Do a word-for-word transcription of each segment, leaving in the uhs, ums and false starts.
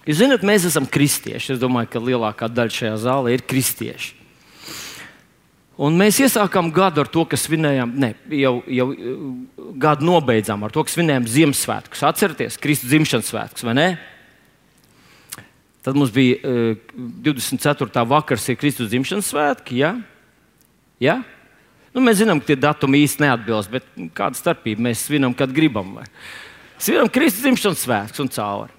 Jūs zināt, mēs esam kristieši. Es domāju, ka lielākā daļa šajā zālē ir kristieši. Un mēs iesākām gadu ar to, ka svinējām, ne, jau, jau gadu nobeidzām ar to, ka svinējām Ziemassvētkus. Atcerieties, Kristus dzimšanas svētkus, vai ne? Tad mums bija uh, divdesmit ceturtā vakars ir Kristus dzimšanas svētki, ja? Ja? Nu, mēs zinām, ka tie datumi īsti neatbilst, bet kāda starpība? Mēs svinam, kad gribam. Vai? Svinam Kristus dzimšanas svētkus un cauri.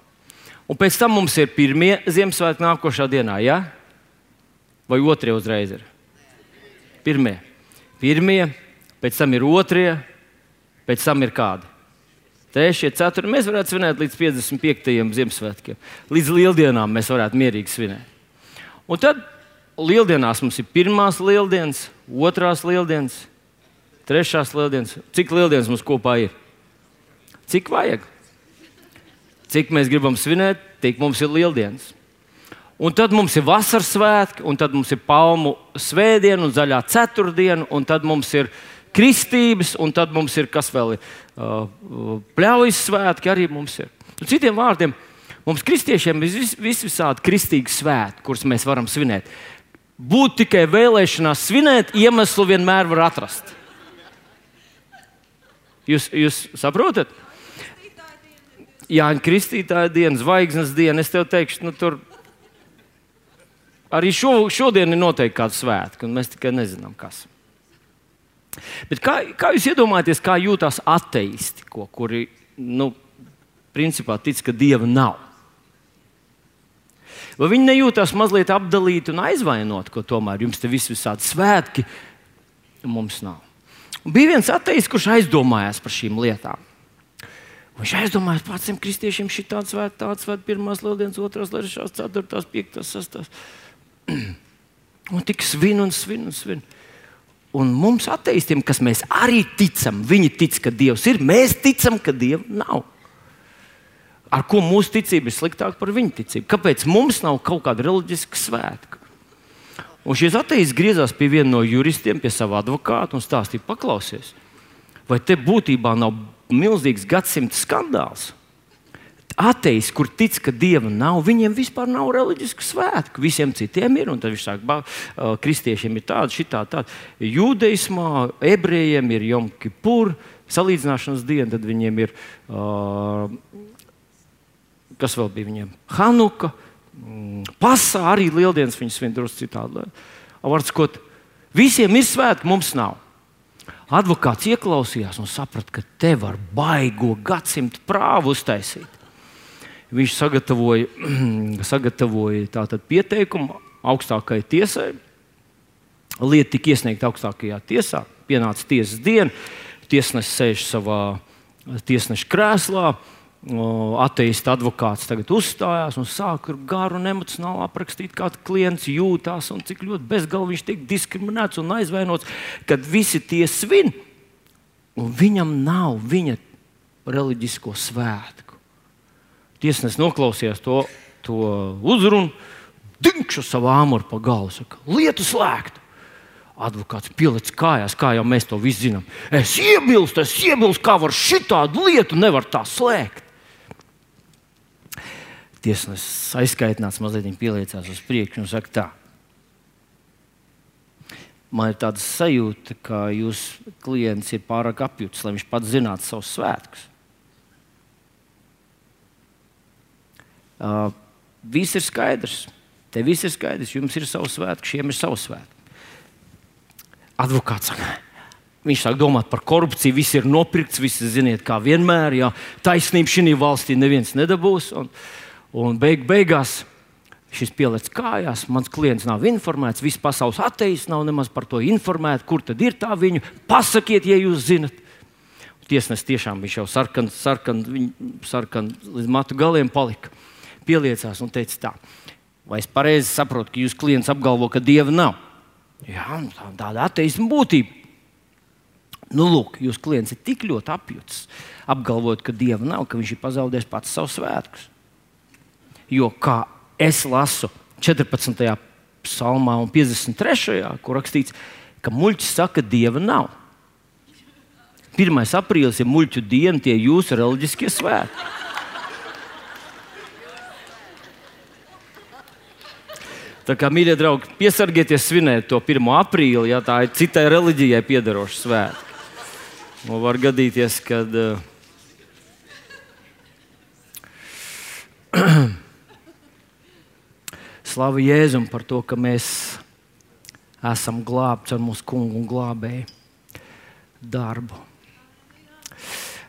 Un pēc tam mums ir pirmie Ziemassvētki nākošā dienā, ja? Vai otrie uzreiz ir? Pirmie. Pirmie, pēc tam ir otrie, pēc tam ir kādi? Trešie, ceturtie. Mēs varētu svinēt līdz piecdesmit piektajiem Ziemassvētkiem. Līdz lieldienām mēs varētu mierīgi svinēt. Un tad lieldienās mums ir pirmās lieldienas, otrās lieldienas, trešās lieldienas. Cik lieldienas mums kopā ir? Cik vajag? Cik mēs gribam svinēt, tik mums ir lieldienas. Un tad mums ir vasaras svētki, un tad mums ir palmu svētdiena un zaļā ceturtdiena, un tad mums ir kristības, un tad mums ir, kas vēl ir, uh, pļaujas svētki arī mums ir. Un citiem vārdiem, mums kristiešiem ir vis, vis visādi kristīgi svētki, kurus mēs varam svinēt. Būt tikai vēlēšanās svinēt, iemeslu vienmēr var atrast. Jūs, jūs saprotat? Jāņa Kristītāja diena, zvaigznes diena, es tev teikšu, nu tur arī šo, šodien ir noteikti kāds svētki, un mēs tikai nezinām, kas. Bet kā, kā jūs iedomājaties, kā jūtās ateisti, ko, kuri, nu, principā tic, ka Dieva nav? Vai viņi nejūtās mazliet apdalīti un aizvainoti, ko tomēr jums te vis visādi svētki, mums nav? Un bija viens ateists, kurš aizdomājās par šīm lietām. Viņš aizdomājās par tiem kristiešiem šī tāds svētki, tāds svētki, pirmās lieldienas, otrās, trešās, ceturtās, piektās, sestās. Un tik svin un svin un svin. Un mums ateistiem, kas mēs arī ticam, viņi tic, ka Dievs ir, mēs ticam, ka Dieva nav. Ar ko mūsu ticība ir sliktāka par viņu ticību? Kāpēc mums nav kaut kāda reliģiska svētka? Un šis ateists griezās pie viena no juristiem, pie sava advokāta un stāstīja, paklausies, vai te būtībā nav milzīgs gadsimta skandāls? Ateists, kur tic, ka Dieva nav, viņiem vispār nav reliģisku svētku. Visiem citiem ir, un tad viņš saka, uh, kristiešiem ir tāda, šitā, tāda. Jūdeismā, ebrejiem ir Jom Kipur, salīdzināšanas diena, tad viņiem ir, uh, kas vēl bija viņiem? Hanuka, mm, Pasā, arī lieldienas viņas svin drusku citādi. Vārds, visiem ir svētki, mums nav. Advokāts ieklausījās un saprata, ka te var baigo gadsimtu prāvu uztaisīt. Viņš sagatavoja, sagatavoja tātad pieteikumu augstākajai tiesai. Lieta tika iesniegta augstākajā tiesā. Pienāca tiesas diena. Tiesnesis sēž savā tiesneša krēslā. Ateista advokāts tagad uzstājās un sāk garu un emocionāli aprakstīt, kā klients jūtās un cik ļoti bezgalīgi viņš tiek diskriminēts un aizvainots, kad visi tie svin un viņam nav viņa reliģisko svētku. Tiesnesis noklausījās to, to uzrunu, dinkšu savu āmuru pa galvu, saka, lietu slēgtu. Advokāts pielic kājās, kā jau mēs to visi zinām. Es iebilstu, es iebilstu, kā var šitādu lietu nevar tā slēgt. Tiesnesis aizskaitināts, mazliet viņa pieliecās uz priekšu un saka tā. Man ir tāda sajūta, ka jūs klients ir pārāk apjutis, lai viņš pats zinātu savus svētkus. Uh, viss ir skaidrs. Te viss ir skaidrs. Jums ir savs svētki, šiem ir savs svētki. Advokāts saka, viņš sāk domāt par korupciju, viss ir nopirkts, viss ziniet, kā vienmēr, jā, taisnība šī valstī neviens nedabūs. Un, un beig, beigās šis pieliec kājās, mans klients nav informēts, viss pasaules ateists nav nemaz par to informēts, kur tad ir tā viņu, pasakiet, ja jūs zinat. Tiesnesis tiešām viņš jau sarkan, sarkan, sarkan līdz matu galiem palika. Pieliecās un teica tā, vai es pareizi saprotu, ka jūs klients apgalvo, ka Dieva nav? Jā, tā, tāda ateisma būtība. Nu, lūk, jūs klients ir tik ļoti apjutis, apgalvojot, ka Dieva nav, ka viņš ir pazaudējis pats savus svētkus. Jo, kā es lasu četrpadsmitajā psalmā un piecdesmit trešajā, kur rakstīts, ka muļķis saka, Dieva nav. pirmais aprīlis ir muļķu diena, tie jūsu reliģiskie svētki. Tā kā, mīļie draugi, piesargieties svinēt to pirmo aprīli, ja tā ir citai reliģijai piederoša svētki. Un var gadīties, kad uh, Slavu Jēzum par to, ka mēs esam glābti ar mūsu kungu un glābēju darbu.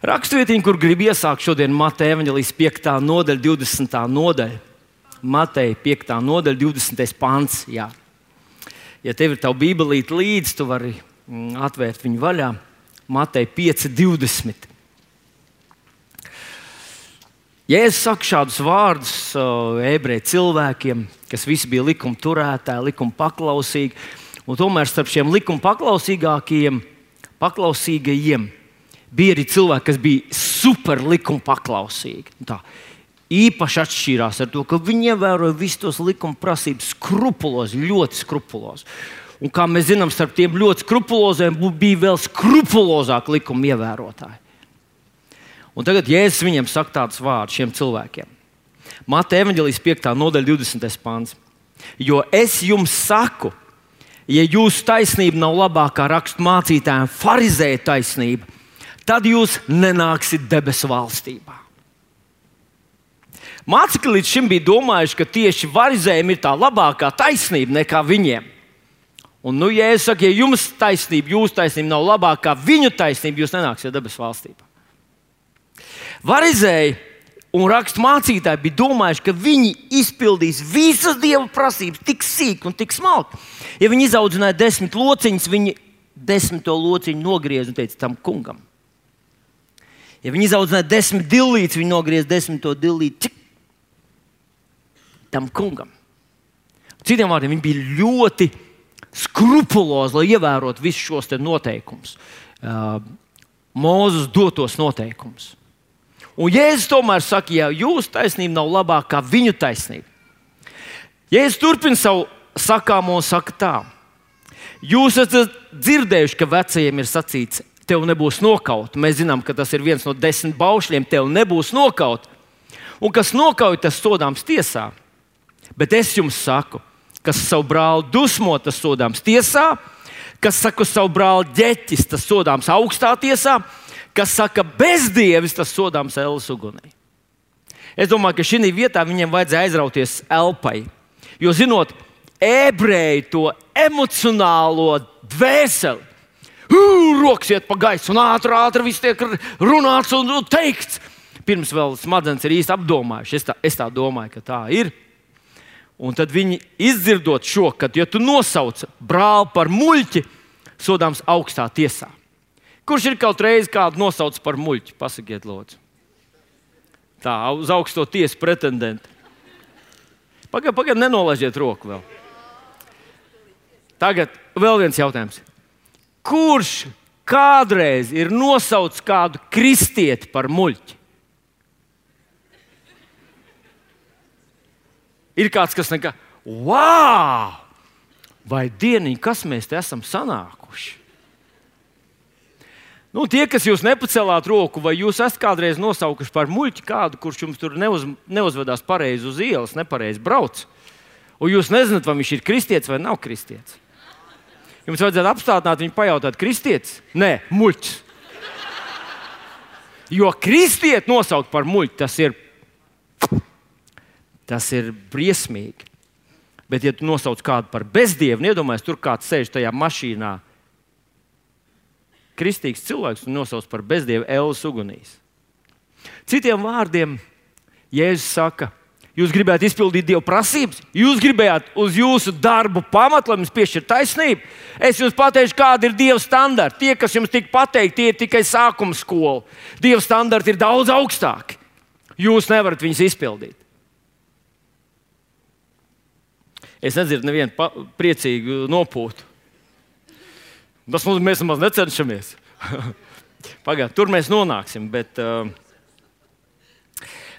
Rakstvietiņa, kur grib iesākt šodien, Mateja evaņģēlijas piektā nodaļa, divdesmitā nodaļa. Mateja piektā nodaļa, divdesmitais pants. Jā. Ja tev ir tava bībelīte līdzi, tu vari atvērt viņu vaļā. Mateja pieci divdesmit. Jēzus saka šādus vārdus uh, ebreju cilvēkiem, kas visi bija likuma turētāji, likuma paklausīgi. Un tomēr starp šiem likuma paklausīgākajiem, paklausīgajiem bija arī cilvēki, kas bija super likuma paklausīgi. Tā īpaši atšķīrās ar to, ka viņi ievēroja visus tos likuma prasības skrupulozi, ļoti skrupulozi. Un kā mēs zinām, starp tiem ļoti skrupuloziem bija vēl skrupulozāk likuma ievērotāji. Un tagad Jēzus viņiem saka tādus vārdus šiem cilvēkiem. Mateja evaņģēlijas piektā nodaļa, divdesmitais pants. Jo es jums saku, ja jūsu taisnība nav labākā rakstu mācītājiem farizēja taisnība, tad jūs nenāksiet debesu valstībā. Mācekļi līdz šim bija domājuši, ka tieši farizējiem ir tā labākā taisnība nekā viņiem. Un nu Jēzus saka, ja jums taisnība, jūsu taisnība nav labākā viņu taisnība, jūs nenāksiet debesu valstībā. Farizēji un rakstu mācītāji bija domājuši, ka viņi izpildīs visas Dieva prasības tik sīk un tik smalki. Ja viņi izaudzināja desmit lociņus, viņi desmito lociņu nogriez un teica tam kungam. Ja viņi izaudzināja desmit dillītes, viņi nogriez desmito dillīti tam kungam. Citiem vārdiem, viņi bija ļoti skrupulozi, lai ievērotu visus šos te noteikumus. Uh, Mūzes dotos noteikumus. Un Jēzus tomēr saka, ja jūsu taisnība nav labāka kā viņu taisnība. Jēzus turpina savu sakāmo un saka tā. Jūs esat dzirdējuši, ka vecajiem ir sacīts, tev nebūs nokaut. Mēs zinām, ka tas ir viens no desmit baušļiem, tev nebūs nokaut. Un kas nokauj, tas sodāms tiesā. Bet es jums saku, kas savu brāli dusmo, tas sodāms tiesā. Kas saka savu brāli ģeķis, tas sodāms augstā tiesā. Kas saka bezdievis, tas sodāms elles ugunī. Es domāju, ka šī vietā viņiem vajadzēja aizrauties elpai. Jo, zinot, ebreji to emocionālo dvēseli, uh, rokas iet pa gaisu un ātri, ātri viss tiek runāts un teikts. Pirms vēl smadzenes ir īsti apdomājuši. Es tā, es tā domāju, ka tā ir. Un tad viņi izdzirdot šo, ka, ja tu nosauc brāli par muļķi, sodāms augstā tiesā. Kurš ir kaut reizi kādu nosaucis par muļķi? Pasakiet, lūdzu. Tā, uz augsto tiesu pretendenti. Pagaid, pagaid, nenolaižiet roku vēl. Tagad vēl viens jautājums. Kurš kādreiz ir nosaucis kādu kristieti par muļķi? Ir kāds, kas nekā, wow! Vai dieniņ, kas mēs te esam sanākuši? Nu, tie, kas jūs nepacēlāt roku, vai jūs esat kādreiz nosaukuši par muļķi kādu, kurš jums tur neuz, neuzvedās pareizi uz ielas, nepareizi brauc, un jūs nezināt, vai viņš ir kristietis vai nav kristietis. Jums vajadzētu apstādināt viņu pajautāt, kristietis? Nē, muļķis. Jo kristieti nosaukt par muļķi, tas ir, tas ir briesmīgi. Bet, ja tu nosauc kādu par bezdievu, iedomājies, tur kāds sēž tajā mašīnā, kristīgs cilvēks un nosauc par bezdievu elles ugunīs. Citiem vārdiem, Jēzus saka, jūs gribētu izpildīt Dieva prasības, jūs gribējāt uz jūsu darbu pamatu, lai jums piešķir taisnību. Es jums pateikšu, kāda ir Dieva standarti. Tie, kas jums tika pateikti, tie ir tikai sākuma skola. Dieva standarti ir daudz augstāki. Jūs nevarat viņus izpildīt. Es nedzirdu nevienu pa- priecīgu nopūtu. Tas mums mēs nemaz necenšamies. Pagād, tur mēs nonāksim. Bet, uh,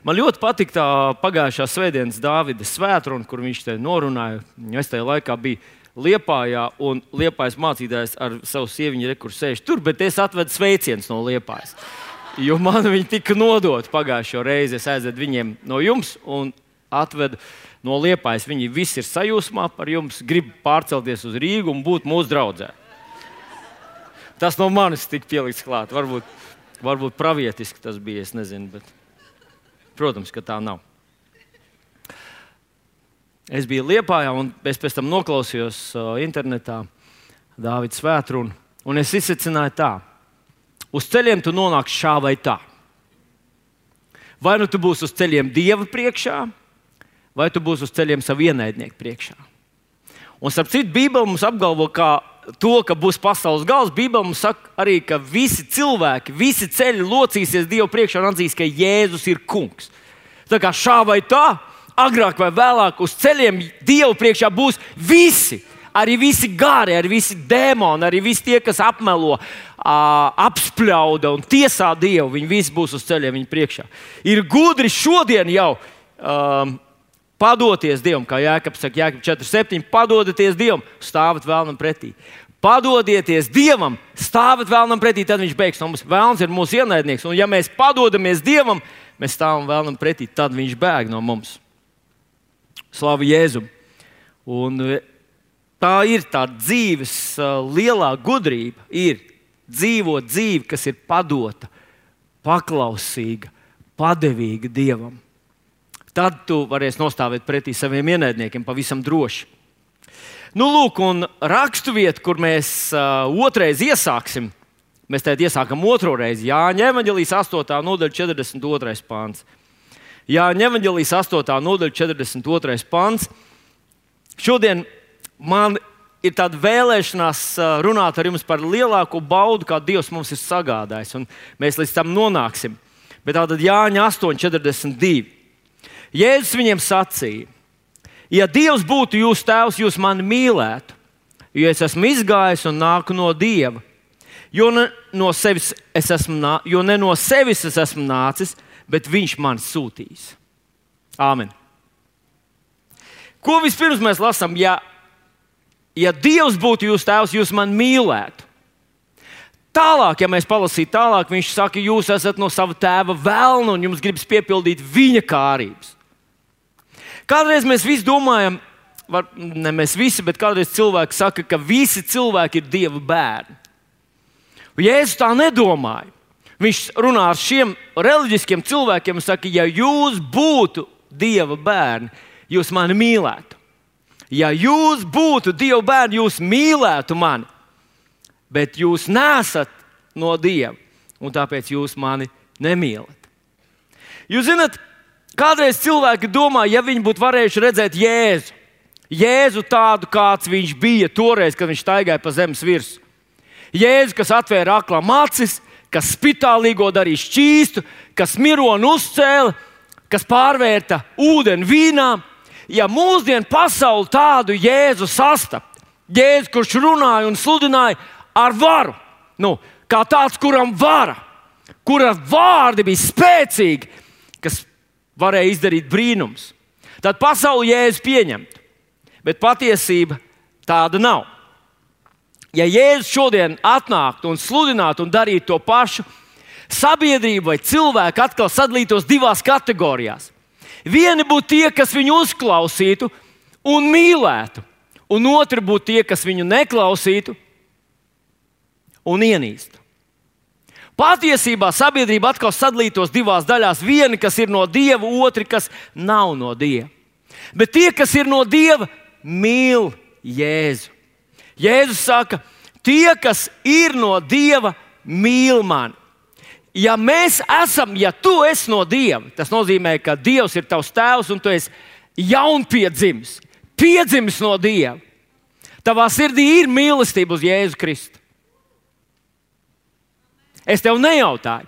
man ļoti patīk tā pagājušā svētdienas Dāvida svētruna, kur viņš te norunāja. Es tajā laikā biju Liepājā, un Liepājas mācītājs ar savu sieviņu rekurs sēž tur, bet es atvedu sveicienus no Liepājas. Jo man viņi tika nodoti pagājušo reizi. Es aizvedu viņiem no jums, un atvedu no Liepājas. Viņi visi ir sajūsmā par jums, grib pārcelties uz Rīgu un būt mūsu draudzē. Tas no manis tika pielikts klāt. Varbūt, varbūt pravietiski tas bija, es nezinu, bet protams, ka tā nav. Es biju Liepājā un es pēc tam noklausījos uh, internetā Dāvida svētrunu, un es izsecināju tā. Uz ceļiem tu nonāksi šā vai tā. Vai nu tu būsi uz ceļiem Dieva priekšā, vai tu būsi uz ceļiem savu ienaidnieku priekšā. Un starp citu, Bībele mums apgalvo, ka to, ka būs pasaules gals, Bībele mums saka arī, ka visi cilvēki, visi ceļi locīsies Dievu priekšā un atzīs, ka Jēzus ir kungs. Tā kā šā vai tā, agrāk vai vēlāk uz ceļiem Dievu priekšā būs visi. Arī visi gari, arī visi dēmoni, arī visi tie, kas apmelo, apspļauda un tiesā Dievu. Viņi visi būs uz ceļiem viņa priekšā. Ir gudri šodien jau um, padoties Dievam, kā Jēkabs saka, Jēkabs četri septiņi, padodieties Dievam, stāvat vēlnam pretī. Padodieties Dievam, stāvat vēlnam pretī, tad viņš beigs no mums. Vēlns ir mūsu ienaidnieks, un ja mēs padodamies Dievam, mēs stāvam vēlnam pretī, tad viņš bēg no mums. Slavu Jēzum. Un tā ir tā dzīves uh, lielā gudrība, ir dzīvot dzīvi, kas ir padota, paklausīga, padevīga Dievam. Tad tu varēsi nostāvēt pretī saviem ienaidniekiem pavisam droši. Nu, lūk, un rakstuvieta, kur mēs uh, otrais iesāksim, mēs tagad iesākam otro reizi, Jāņa evaņģelijas astotā nodaļa četrdesmit otrais pants. Jāņa evaņģelijas astotā nodaļa četrdesmit otrais pants. Šodien man ir tāda vēlēšanās runāt ar jums par lielāko baudu, kā Dievs mums ir sagādājis, un mēs līdz tam nonāksim. Bet tātad Jāņa astoņi četrdesmit divi. Jēzus viņiem sacīja: ja Dievs būtu jūsu tēvs, jūs mani mīlētu, jo es esmu izgājis un nāku no Dieva. Jo ne no sevis es esmu, nā, jo ne no sevis es esmu nācis, bet viņš mani sūtīs. Āmen. Ko vispirms mēs lasām? Ja, ja Dievs būtu jūsu tēvs, jūs mani mīlētu. Tālāk, ja mēs palasītu tālāk, viņš saka, jūs esat no sava tēva velna un jums gribas piepildīt viņa kārības. Kādreiz mēs visi domājam, var, ne mēs visi, bet kādreiz cilvēki saka, ka visi cilvēki ir Dieva bērni. Un Jēzus tā nedomāja. Viņš runā ar šiem reliģiskiem cilvēkiem un saka, ja jūs būtu Dieva bērni, jūs mani mīlētu. Ja jūs būtu Dieva bērni, jūs mīlētu mani. Bet jūs nesat no Dieva, un tāpēc jūs mani nemīlat. Jūs zināt, kādreiz cilvēki domā, ja viņi būtu varējuši redzēt Jēzu, Jēzu tādu, kāds viņš bija toreiz, kad viņš staigāja pa zemes virsmu. Jēzu, kas atvēra aklam acis, kas spitālīgo darīja šķīstu, kas mironu uzcēla, kas pārvērta ūdeni vīnā. Ja mūsdienu pasauli tādu Jēzu sastapt, Jēzu, kurš runāja un sludināja ar varu, nu, kā tāds, kuram vara, kura vārdi bija spēcīgi, kas varēja izdarīt brīnums, tad pasauli Jēzu pieņemtu. Bet patiesība tāda nav. Ja Jēzus šodien atnāktu un sludinātu un darītu to pašu, sabiedrība vai cilvēki atkal sadalītos divās kategorijās. Vieni būtu tie, kas viņu uzklausītu un mīlētu, un otri būtu tie, kas viņu neklausītu un ienīstu. Patiesībā sabiedrība atkal sadalītos divās daļās. Vieni, kas ir no Dieva, otri, kas nav no Dieva. Bet tie, kas ir no Dieva, mīl Jēzu. Jēzus saka, tie, kas ir no Dieva, mīl mani. Ja mēs esam, ja tu esi no Dieva, tas nozīmē, ka Dievs ir tavs tēvs un tu esi jaunpiedzimis, piedzimis no Dieva. Tavā sirdī ir mīlestība uz Jēzu Kristu. Es tev nejautāju.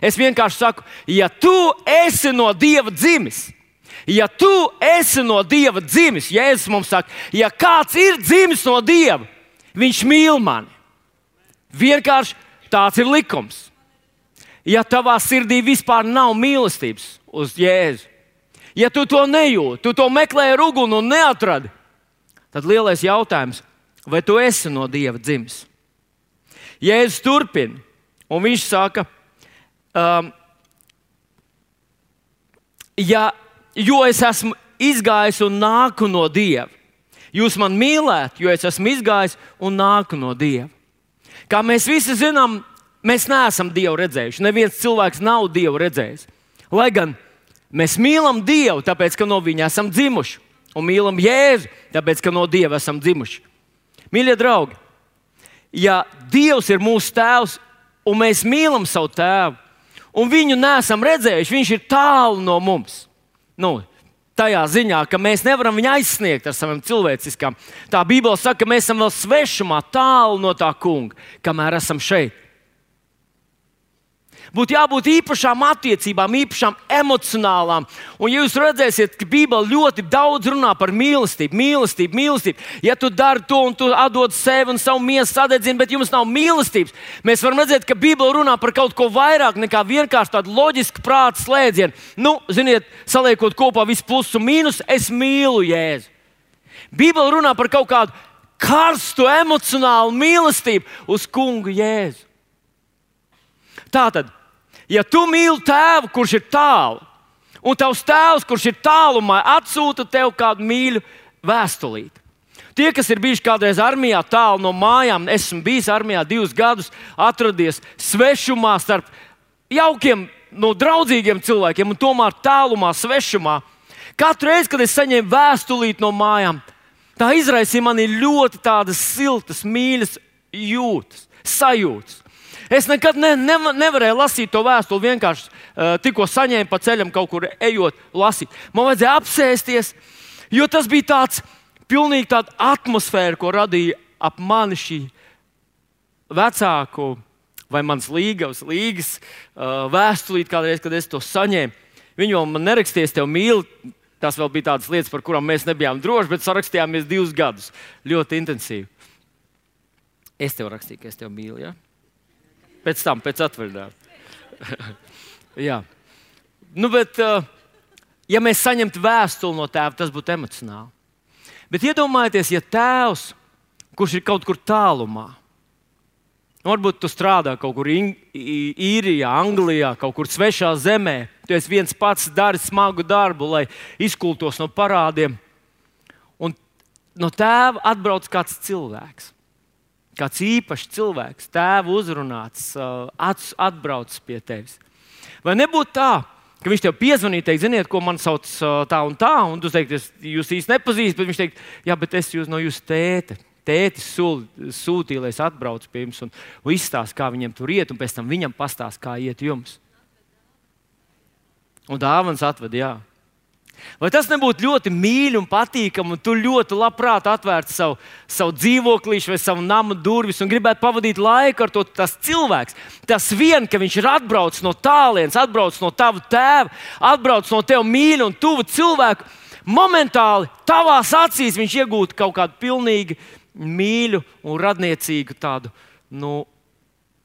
Es vienkārši saku, ja tu esi no Dieva dzimis, ja tu esi no Dieva dzimis, Jēzus mums saka, ja kāds ir dzimis no Dieva, viņš mīl mani. Vienkārši tāds ir likums. Ja tavā sirdī vispār nav mīlestības uz Jēzu, ja tu to nejūti, tu to meklē ar uguni un neatradi, tad lielais jautājums, vai tu esi no Dieva dzimis? Jēzus turpina. Un viņš saka, um, ja, jo es esmu izgājis un nāku no Dieva. Jūs man mīlēt, jo es esmu izgājis un nāku no Dieva. Kā mēs visi zinām, mēs neesam Dievu redzējuši. Neviens cilvēks nav Dievu redzējis. Lai gan mēs mīlam Dievu, tāpēc, ka no Viņa esam dzimuši. Un mīlam Jēzu, tāpēc, ka no Dieva esam dzimuši. Mīļie draugi, ja Dievs ir mūsu tēvs un mēs mīlam savu tēvu, un viņu neesam redzējuši, viņš ir tālu no mums. Nu, tajā ziņā, ka mēs nevaram viņu aizsniegt ar savām cilvēciskām. Tā Bībele saka, ka mēs esam vēl svešumā, tālu no tā kunga, kamēr esam šeit. Būtu jābūt īpašām attiecībām, īpašām emocionālām. Un ja jūs redzēsiet, ka Bībele ļoti daudz runā par mīlestību, mīlestību, mīlestību. Ja tu dari to un tu atdod sevi un savu miesu sadedzini, bet jums nav mīlestības, mēs varam redzēt, ka Bībele runā par kaut ko vairāk nekā vienkārši tādu loģisku prāta slēdzienu. Nu, ziniet, saliekot kopā visu plusu un mīnusu, es mīlu Jēzu. Bībele runā par kaut kādu karstu, emocionālu mīlestību uz kungu Jēzu. Tātad, ja tu mīli tēvu, kurš ir tālu, un tavs tēvs, kurš ir tālumā, atsūta tev kādu mīļu vēstulīti. Tie, kas ir bijuši kādreiz armijā tālu no mājām, esmu bijis armijā divus gadus, atradies svešumā starp jaukiem, no draudzīgiem cilvēkiem, un tomēr tālumā, svešumā. Katru reizi, kad es saņēmu vēstulīti no mājām, tā izraisīja manī ļoti tādas siltas, mīļas jūtas, sajūtas. Es nekad ne, ne, nevarēju lasīt to vēstuli, vienkārši uh, tikko saņēmu pa ceļam kaut kur ejot, lasīt. Man vajadzēja apsēsties, jo tas bija tāds pilnīgi tāda atmosfēra, ko radīja ap mani šī vecāku vai mans līgavs, līgas uh, vēstulīt kādreiz, kad es to saņēmu. Viņi vēl man neraksties, tev mīl. Tas vēl bija tādas lietas, par kurām mēs nebijām droši, bet sarakstījāmies divus gadus. Ļoti intensīvi. Es tev rakstīju, ka es tev mīlu, ja? Pēc tam, pēc atvaļinājuma. Jā. Nu, bet, ja mēs saņemtu vēstuli no tēva, tas būtu emocionāli. Bet iedomājieties, ja tēvs, kurš ir kaut kur tālumā, varbūt tu strādā kaut kur Īrijā, Anglijā, kaut kur svešā zemē, tu esi viens pats, dari smagu darbu, lai izkultos no parādiem, un no tēva atbrauc kāds cilvēks. Kāds īpašs cilvēks, tēvu uzrunāts, atbrauc pie tevis. Vai nebūtu tā, ka viņš tev piezvanīja, teikt, ziniet, ko man sauc tā un tā, un tu teikt, es jūs īsti nepazīstu, bet viņš teikt, jā, bet es jūs no jūsu tēta. Tētis sūtīja, lai es atbraucu pie jums un, un izstāst, kā viņam tur iet, un pēc tam viņam pastāst, kā iet jums. Un dāvans atved, jā. Vai tas nebūtu ļoti mīļi un patīkami, un tu ļoti labprāt atvērtu savu, savu dzīvoklīšu vai savu namu durvis un gribētu pavadīt laiku ar to tas cilvēks? Tas vien, ka viņš ir atbraucis no tālienes, atbraucis no tava tēva, atbraucis no tev mīļa un tuva cilvēku, momentāli tavās acīs viņš iegūtu kaut kādu pilnīgi mīļu un radniecīgu tādu, nu,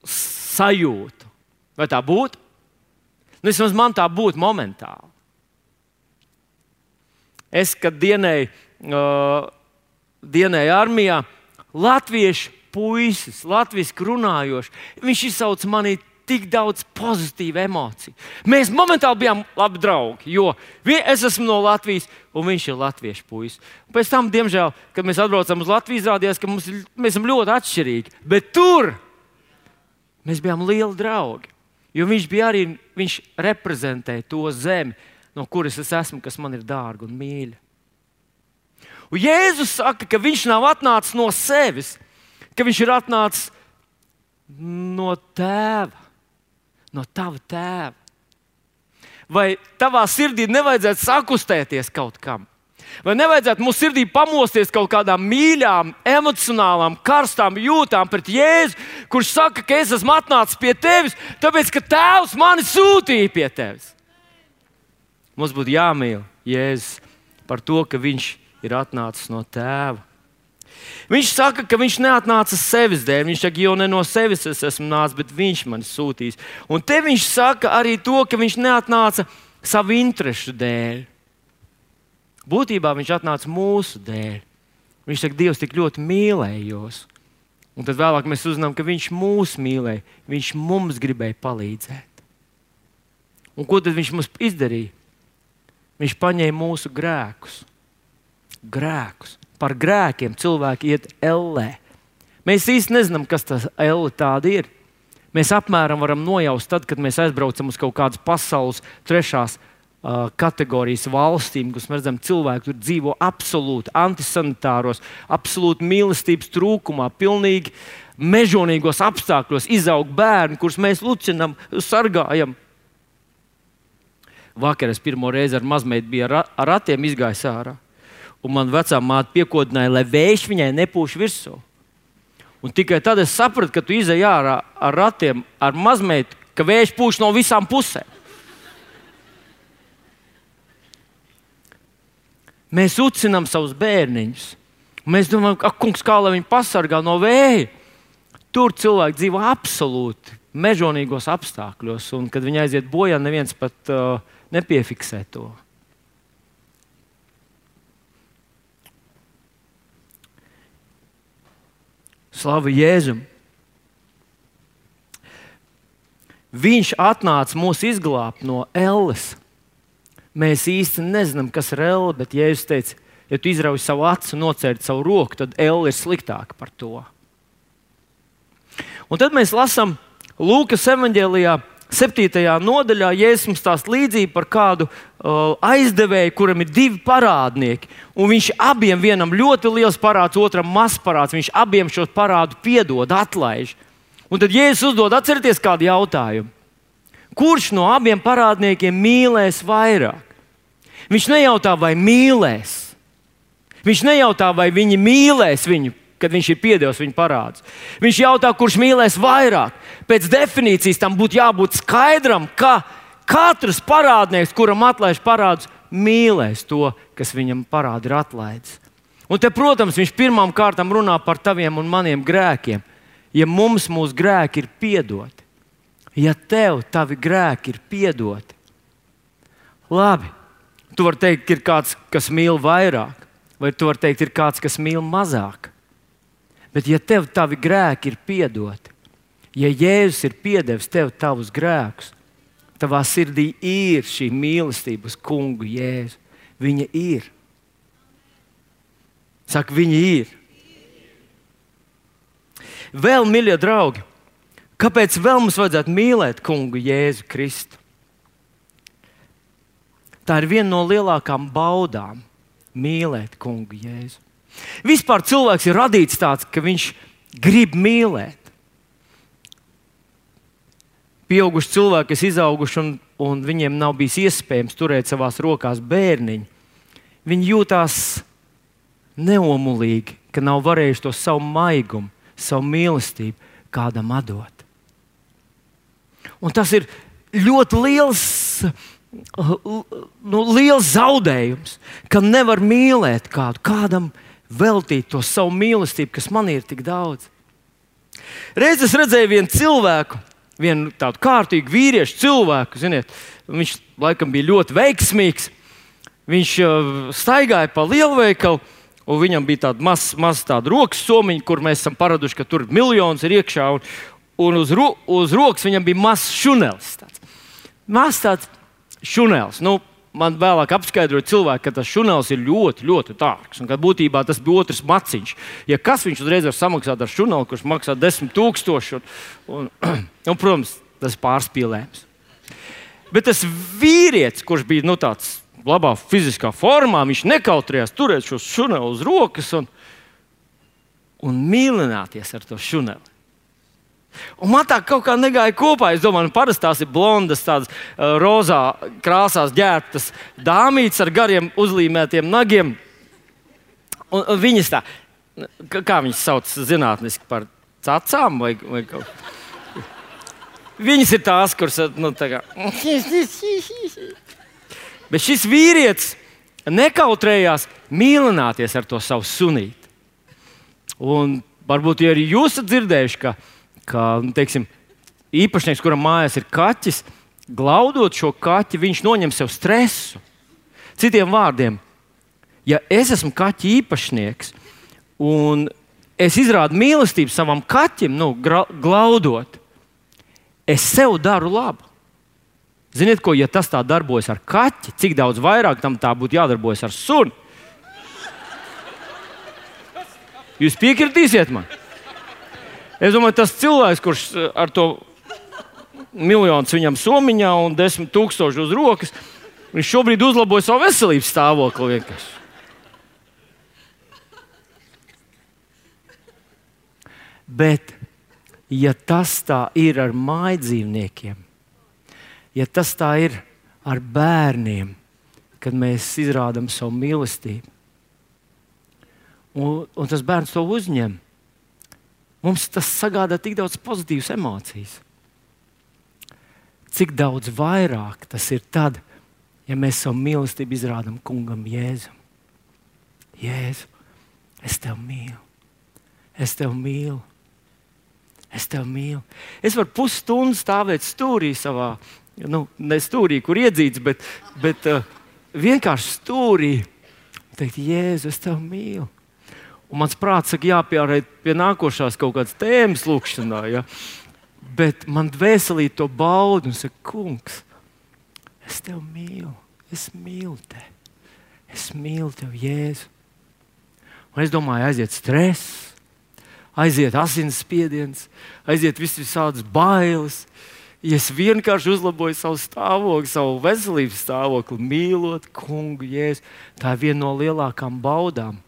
sajūtu. Vai tā būtu? Nu, vismaz man tā būtu momentāli. Es, kad dienēju, uh, dienēju armijā, latviešu puisis, latviešu runājošs, viņš izsauca manī tik daudz pozitīvu emociju. Mēs momentāli bijām labi draugi, jo es esmu no Latvijas, un viņš ir latviešu puisis. Pēc tam, diemžēl, kad mēs atbraucām uz Latviju, izrādījās, ka mums, mēs esam ļoti atšķirīgi. Bet tur mēs bijām lieli draugi, jo viņš bija arī, viņš reprezentēja to zemi, no kuras es esmu, kas man ir dārga un mīļa. Un Jēzus saka, ka viņš nav atnācis no sevis, ka viņš ir atnācis no tēva, no tava tēva. Vai tavā sirdī nevajadzētu sakustēties kaut kam? Vai nevajadzētu mūsu sirdī pamosties kaut kādām mīļām, emocionālām, karstām jūtām pret Jēzu, kurš saka, ka es esmu atnācis pie tevis, tāpēc, ka tēvs mani sūtīja pie tevis? Mums būtu jāmīl Jēzus par to, ka viņš ir atnācis no tēva. Viņš saka, ka viņš neatnāca sevis dēļ. Viņš saka, jo ne no sevis es esmu nācis, bet viņš mani sūtīs. Un te viņš saka arī to, ka viņš neatnāca savu interešu dēļ. Būtībā viņš atnāca mūsu dēļ. Viņš saka, Dievs tik ļoti mīlējos. Un tad vēlāk mēs uzzinām, ka viņš mūs mīlēja. Viņš mums gribēja palīdzēt. Un ko tad viņš mums izdarīja? Viņš paņēma mūsu grēkus. Grēkus. Par grēkiem cilvēki iet ellē. Mēs īsti nezinām, kas tas elle tāda ir. Mēs apmēram varam nojaust tad, kad mēs aizbraucam uz kaut kādas pasaules trešās uh, kategorijas valstīm, kus mēs redzam, cilvēki tur dzīvo absolūti antisanitāros, absolūti mīlestības trūkumā, pilnīgi mežonīgos apstākļos, izaug bērni, kurus mēs lucinam, sargājam. Vakar es pirmo reizi ar mazmeitu biju ar, ar ratiem izgājis ārā. Un man vecā māte piekodināja, lai vējš viņai nepūš virsū. Un tikai tad es sapratu, ka tu izej ārā ar ratiem, ar mazmeitu, ka vējš pūš no visām pusēm. Mēs ucinām savus bērniņus. Mēs domājam, ka kungs, kā lai viņi pasargā no vēja. Tur cilvēki dzīvo absolūti mežonīgos apstākļos. Un, kad viņi aiziet bojā, neviens pat uh, nepiefiksē to. Slavu Jēzum! Viņš atnāca mūs izglābt no elles. Mēs īsti nezinām, kas ir elle, bet Jēzus teica, ja tu izrauj savu acu un nocēri savu roku, tad elle ir sliktāka par to. Un tad mēs lasām Lūkas evaņģēlijā septītajā nodaļā, Jēzus mums stāsta līdzību par kādu uh, aizdevēju, kuram ir divi parādnieki. Un viņš abiem, vienam ļoti liels parāds, otram mazs parāds, viņš abiem šo parādu piedod, atlaiž. Un tad Jēzus uzdod, atcerieties kādu jautājumu. Kurš no abiem parādniekiem mīlēs vairāk? Viņš nejautā, vai mīlēs. Viņš nejautā, vai viņi mīlēs viņu, kad viņš ir piedevis viņu parādus. Viņš jautā, kurš mīlēs vairāk. Pēc definīcijas tam būtu jābūt skaidram, ka katrs parādnieks, kuram atlaiž parādus, mīlēs to, kas viņam parādi ir atlaidis. Un te, protams, viņš pirmām kārtām runā par taviem un maniem grēkiem. Ja mums mūsu grēki ir piedoti, ja tev tavi grēki ir piedoti, labi, tu vari teikt, ka ir kāds, kas mīl vairāk, vai tu vari teikt, ir kāds, kas mīl mazāk. Bet ja tev tavi grēki ir piedoti, ja Jēzus ir piedevis tev tavus grēkus, tavā sirdī ir šī mīlestība uz kungu Jēzu. Viņa ir. Saka, viņa ir. Vēl, mīļie draugi, kāpēc vēl mums vajadzētu mīlēt kungu Jēzu Kristu? Tā ir viena no lielākām baudām - mīlēt kungu Jēzu. Vispār cilvēks ir radīts tāds, ka viņš grib mīlēt. Pieauguši cilvēki, kas izauguši un, un viņiem nav bijis iespējams turēt savās rokās bērniņu, viņi jūtās neomulīgi, ka nav varējuši to savu maigumu, savu mīlestību kādam atdot. Un tas ir ļoti liels, nu, liels zaudējums, ka nevar mīlēt kādu, kādam veltīt to savu mīlestību, kas man ir tik daudz. Reiz es redzēju vienu cilvēku, vienu tādu kārtīgu vīriešu cilvēku, ziniet, viņš laikam bija ļoti veiksmīgs. Viņš uh, staigāja pa lielveikalu, un viņam bija tāda maza maz tāda rokas somiņa, kur mēs esam paraduši, ka tur miljons ir iekšā, un, un uz, ro, uz rokas viņam bija mazs šunelis. Tāds. Mazs tāds šunelis. Nu, man vēlāk apskaidroja cilvēki, ka tas šunelis ir ļoti, ļoti dārgs, un ka būtībā tas bija otrs maciņš. Ja kas viņš uzreiz var samaksāt ar šuneli, kurš maksā desmit tūkstoši, un, un, un, protams, tas pārspīlējums. Bet tas vīrietis, kurš bija nu, tāds labā fiziskā formā, viņš nekautrējās turēt šo šuneli uz rokas un, un mīlināties ar to šuneli. Un man tā kaut kā negāja kopā. Es domāju, nu, parasti tās ir blondas, tādas uh, rozā krāsās ģērbtas dāmītes ar gariem uzlīmētiem nagiem. Un, un viņas tā, kā viņas sauc zinātniski, par cacām vai, vai kaut. Viņas ir tās, kuras, nu, tā kā. Bet šis vīrietis nekautrējās mīlināties ar to savu sunīti. Un varbūt, ja arī jūs esat dzirdējuši, ka ka, teiksim, īpašnieks, kuram mājās ir kaķis, glaudot šo kaķi, viņš noņem sev stresu. Citiem vārdiem, ja es esmu kaķa īpašnieks un es izrādu mīlestību savam kaķim, nu, gra, glaudot, es sev daru labu. Ziniet, ko, ja tas tā darbojas ar kaķi, cik daudz vairāk tam tā būtu jādarbojas ar suni? Jūs piekritīsiet man? Es domāju, tas cilvēks, kurš ar to miljonus viņam somiņā un desmit tūkstoši uz rokas, viņš šobrīd uzlaboja savu veselības stāvokli vienkārši. Bet, ja tas tā ir ar mājdzīvniekiem, ja tas tā ir ar bērniem, kad mēs izrādām savu mīlestību, un, un tas bērns to uzņem, mums tas sagādā tik daudz pozitīvas emocijas. Cik daudz vairāk tas ir tad, ja mēs savu mīlestību izrādām kungam Jēzum. Jēzu, es tevi mīlu. Es tevi mīlu. Es tevi mīlu. Es varu pusstundu stāvēt stūrī savā, nu, ne stūrī, kur iedzīts, bet, bet uh, vienkārši stūrī. Teikt, Jēzu, es tevi mīlu. Un mans prāts saka, jāpierēt pie nākošās kaut kādas tēmas lūkšanā. Ja? Bet man dvēselī to baudu un saka, kungs, es tevi mīlu. Es mīlu tevi. Es mīlu tevi, Jēzu. Un es domāju, aiziet stress. Aiziet asinsspiediens, aiziet vis visādas bailes. Ja es vienkārši uzlaboju savu stāvokli, savu veselības stāvokli, mīlot kungu Jēzu, tā ir viena no lielākām baudām.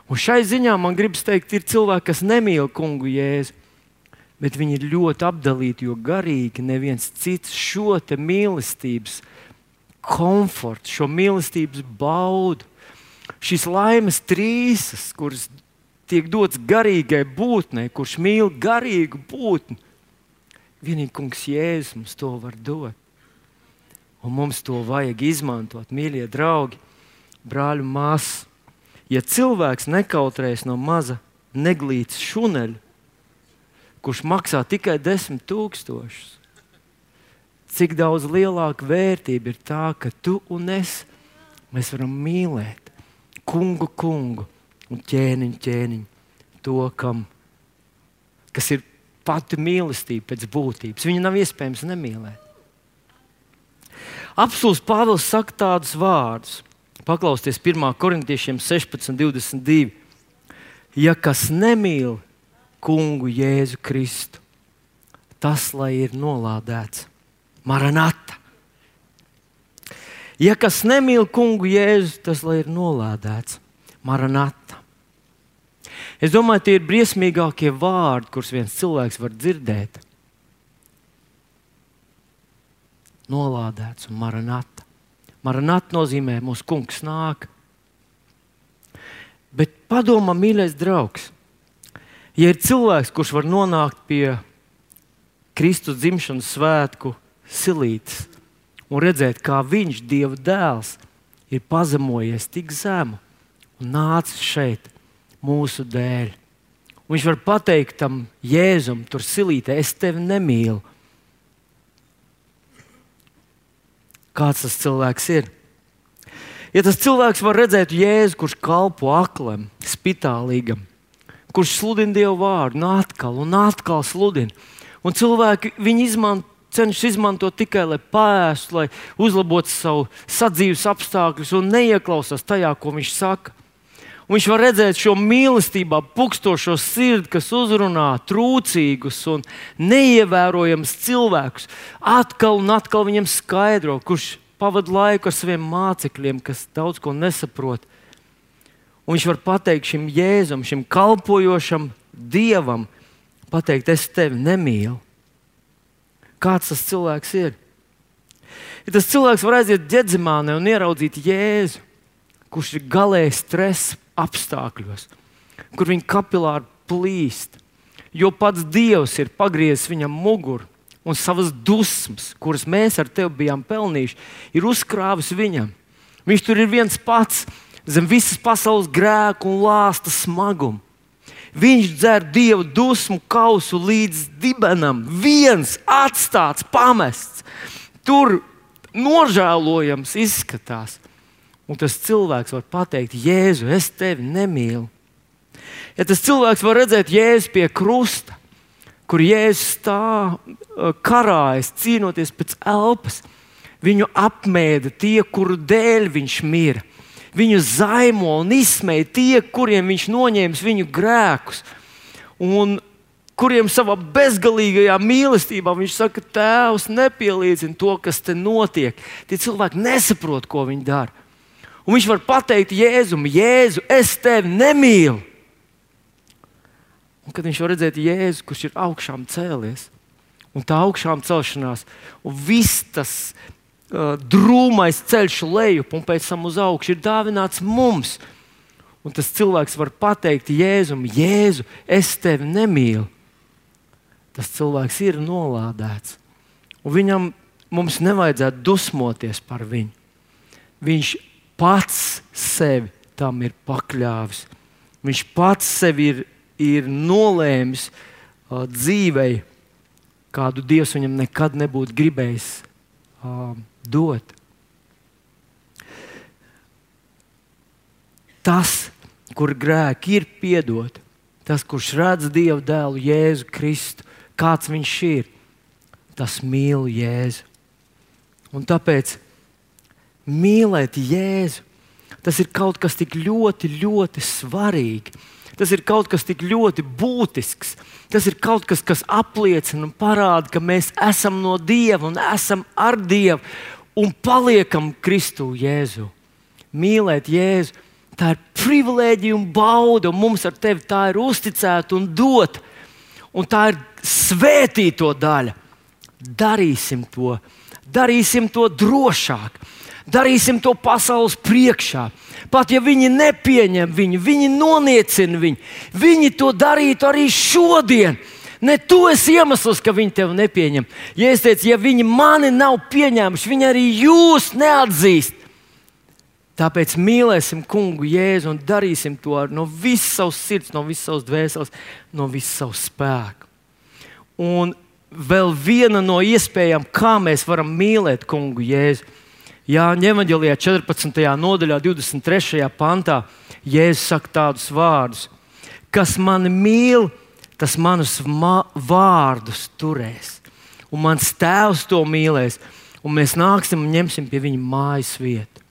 Un šai ziņā man gribas teikt, ir cilvēki, kas nemīl kungu Jēzu, bet viņi ir ļoti apdalīti, jo garīgi neviens cits šo te mīlestības komfortu, šo mīlestības baudu, šīs laimes trīsas, kuras tiek dots garīgai būtnei, kurš mīl garīgu būtni. Vienīgi kungs Jēzus mums to var dot. Un mums to vajag izmantot, mīļie draugi, brāļi un māsas. Ja cilvēks nekautrējas no maza neglītas šuneļa, kurš maksā tikai desmit tūkstošus, cik daudz lielāka vērtība ir tā, ka tu un es, mēs varam mīlēt kungu kungu un ķēniņu, ķēniņu, to, kam, kas ir pati mīlestība pēc būtības. Viņu nav iespējams nemīlēt. Apostūlis Pāvils saka tādus vārdus. Paklausieties pirmā Korintiešiem sešpadsmit divdesmit divi. Ja kas nemīl kungu Jēzu Kristu, tas lai ir nolādēts. Maranata. Ja kas nemīl kungu Jēzu, tas lai ir nolādēts. Maranata. Es domāju, tie ir briesmīgākie vārdi, kurus viens cilvēks var dzirdēt. Nolādēts un maranata. Maranata nozīmē, mūsu kungs nāk. Bet padomā, mīļais draugs, ja ir cilvēks, kurš var nonākt pie Kristus dzimšanas svētku silītes un redzēt, kā viņš, Dieva dēls, ir pazemojies tik zemu un nācis šeit mūsu dēļ. Un viņš var pateikt tam Jēzum, tur silītē, es tevi nemīlu. Kāds tas cilvēks ir? Ja tas cilvēks var redzēt Jēzu, kurš kalpo aklam, spitālīgam, kurš sludina Dievu vārdu, un atkal un atkal sludina. Un cilvēki viņu izmanto, cenšas izmantot tikai, lai pēstu, lai uzlabotu savu sadzīves apstākļus un neieklausās tajā, ko viņš saka. Un viņš var redzēt šo mīlestībā pukstošo sirdi, kas uzrunā trūcīgus un neievērojams cilvēkus. Atkal un atkal viņam skaidro, kurš pavada laiku ar saviem mācekļiem, kas daudz ko nesaprot. Un viņš var pateikt šim Jēzum, šim kalpojošam Dievam, pateikt, es tevi nemīlu. Kāds tas cilvēks ir? Ja tas cilvēks var aiziet Ģedzimānē un ieraudzīt Jēzu, kurš ir galēji stresa apstākļos, kur viņa kapilāri plīst, jo pats Dievs ir pagriezis viņam muguru un savas dusmas, kuras mēs ar tevi bijām pelnījuši, ir uzkrāvis viņam. Viņš tur ir viens pats zem visas pasaules grēku un lāsta smagumu. Viņš dzer Dieva dusmu kausu līdz dibenam, viens atstāts, pamests. Tur nožēlojams izskatās. Un tas cilvēks var pateikt, Jēzu, es tevi nemīlu. Ja tas cilvēks var redzēt Jēzu pie krusta, kur Jēzus stāv karājas, cīnoties pēc elpas, Viņu apmēda tie, kuru dēļ viņš mira. Viņu zaimo un izsmēja tie, kuriem viņš noņēma viņu grēkus. Un kuriem savā bezgalīgajā mīlestībā viņš saka, Tēvs, nepielīdzina to, kas te notiek. Tie cilvēki nesaprot, ko viņi dara. Un viņš var pateikt Jēzum, Jēzu, es tevi nemīlu. Un kad viņš var redzēt Jēzu, kurš ir augšām cēlies, un tā augšām celšanās, un viss tas uh, drūmais ceļš lejup un pēc tam uz augšu ir dāvināts mums. Un tas cilvēks var pateikt Jēzum, Jēzu, es tevi nemīlu. Tas cilvēks ir nolādēts. Un viņam mums nevajadzētu dusmoties par viņu. Viņš pats sevi tam ir pakļāvis. Viņš pats sevi ir, ir nolēmis uh, dzīvei, kādu Dievs viņam nekad nebūtu gribējis uh, dot. Tas, kur grēki ir piedoti, tas, kurš redz Dieva dēlu Jēzu Kristu, kāds viņš ir, tas mīl Jēzu. Un tāpēc mīlēt Jēzu, tas ir kaut kas tik ļoti, ļoti svarīgi. Tas ir kaut kas tik ļoti būtisks. Tas ir kaut kas, kas apliecina un parāda, ka mēs esam no Dieva un esam ar Dievu un paliekam Kristu Jēzu. Mīlēt Jēzu, tā ir privilēģija un bauda, un mums ar tevi tā ir uzticēta un dota. Un tā ir svētīto daļa. Darīsim to, darīsim to drošāk. Darīsim to pasaules priekšā. Pat ja viņi nepieņem viņu, viņi noniecina viņu. Viņi to darītu arī šodien. Ne tu esi iemesls, ka viņi tevi nepieņem. Ja es teicu, ja viņi mani nav pieņēmuši, viņi arī jūs neatzīst. Tāpēc mīlēsim Kungu Jēzu un darīsim to no visas savas sirds, no visas savas dvēseles, no visas savas spēka. Un vēl viena no iespējām, kā mēs varam mīlēt Kungu Jēzu. Jāņa evaņģēlijā četrpadsmitajā nodaļā, divdesmit trešajā pantā, Jēzus saka tādus vārdus: kas mani mīl, tas manus vārdus turēs. Un mans Tēvs to mīlēs, un mēs nāksim un ņemsim pie viņa mājas vietu.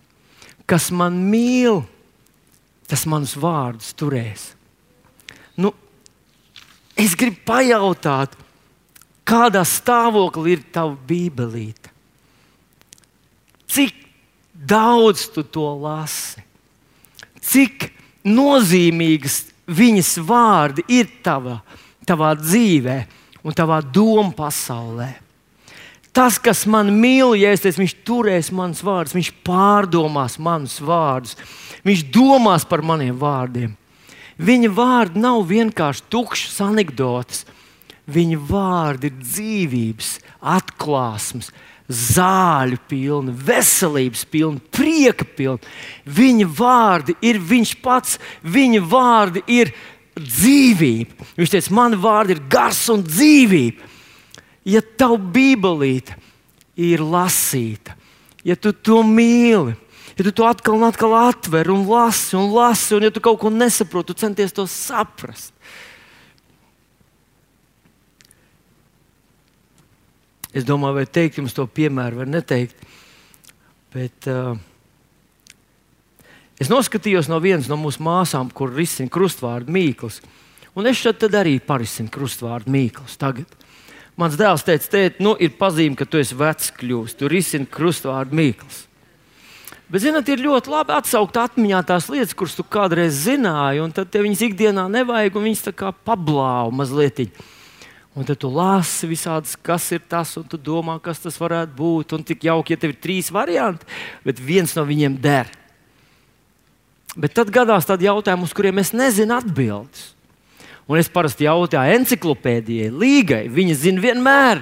Kas man mīl, tas manus vārdus turēs. Nu, es gribu pajautāt, kādā stāvoklī ir tava bībelīte? Cik daudz tu to lasi? Cik nozīmīgas viņas vārdi ir tavā, tavā dzīvē un tavā domu pasaulē? Tas, kas man mīl, ja es teicu, viņš turēs manus vārdus, viņš pārdomās manus vārdus, viņš domās par maniem vārdiem. Viņa vārdi nav vienkārši tukšas anekdotes. Viņa vārdi ir dzīvības, atklāsmes, zāļu pilni, veselības pilni, prieka pilni. Viņa vārdi ir viņš pats, viņa vārdi ir dzīvība. Viņš teica, mani vārdi ir gars un dzīvība. Ja tava bībelīte ir lasīta, ja tu to mīli, ja tu to atkal un atkal atver un lasi un lasi, un ja tu kaut ko nesaproti, tu centies to saprast. Es domāju, vai teikt jums to piemēru, vai neteikt. Bet uh, es noskatījos no vienas no mūsu māsām, kur risina krustvārdu Mīkls. Un es šeit arī parisinu krustvārdu Mīkls tagad. Mans dēls teica, tēt, nu, ir pazīme, ka tu esi vecs kļūst. Tu risini krustvārdu Mīkls. Bet, zināt, ir ļoti labi atsaukt atmiņā tās lietas, kuras tu kādreiz zināji, un tad tev viņas ikdienā nevajag, un viņas tā kā pablāva mazlietiņ. Un tad tu lasi visādas, kas ir tas, un tu domā, kas tas varētu būt. Un tik jauki, ja tev ir trīs varianti, bet viens no viņiem der. Bet tad gadās tādi jautājumi, uz kuriem es nezinu atbildes. Un es parasti jautāju enciklopēdijai, Līgai, viņa zina vienmēr,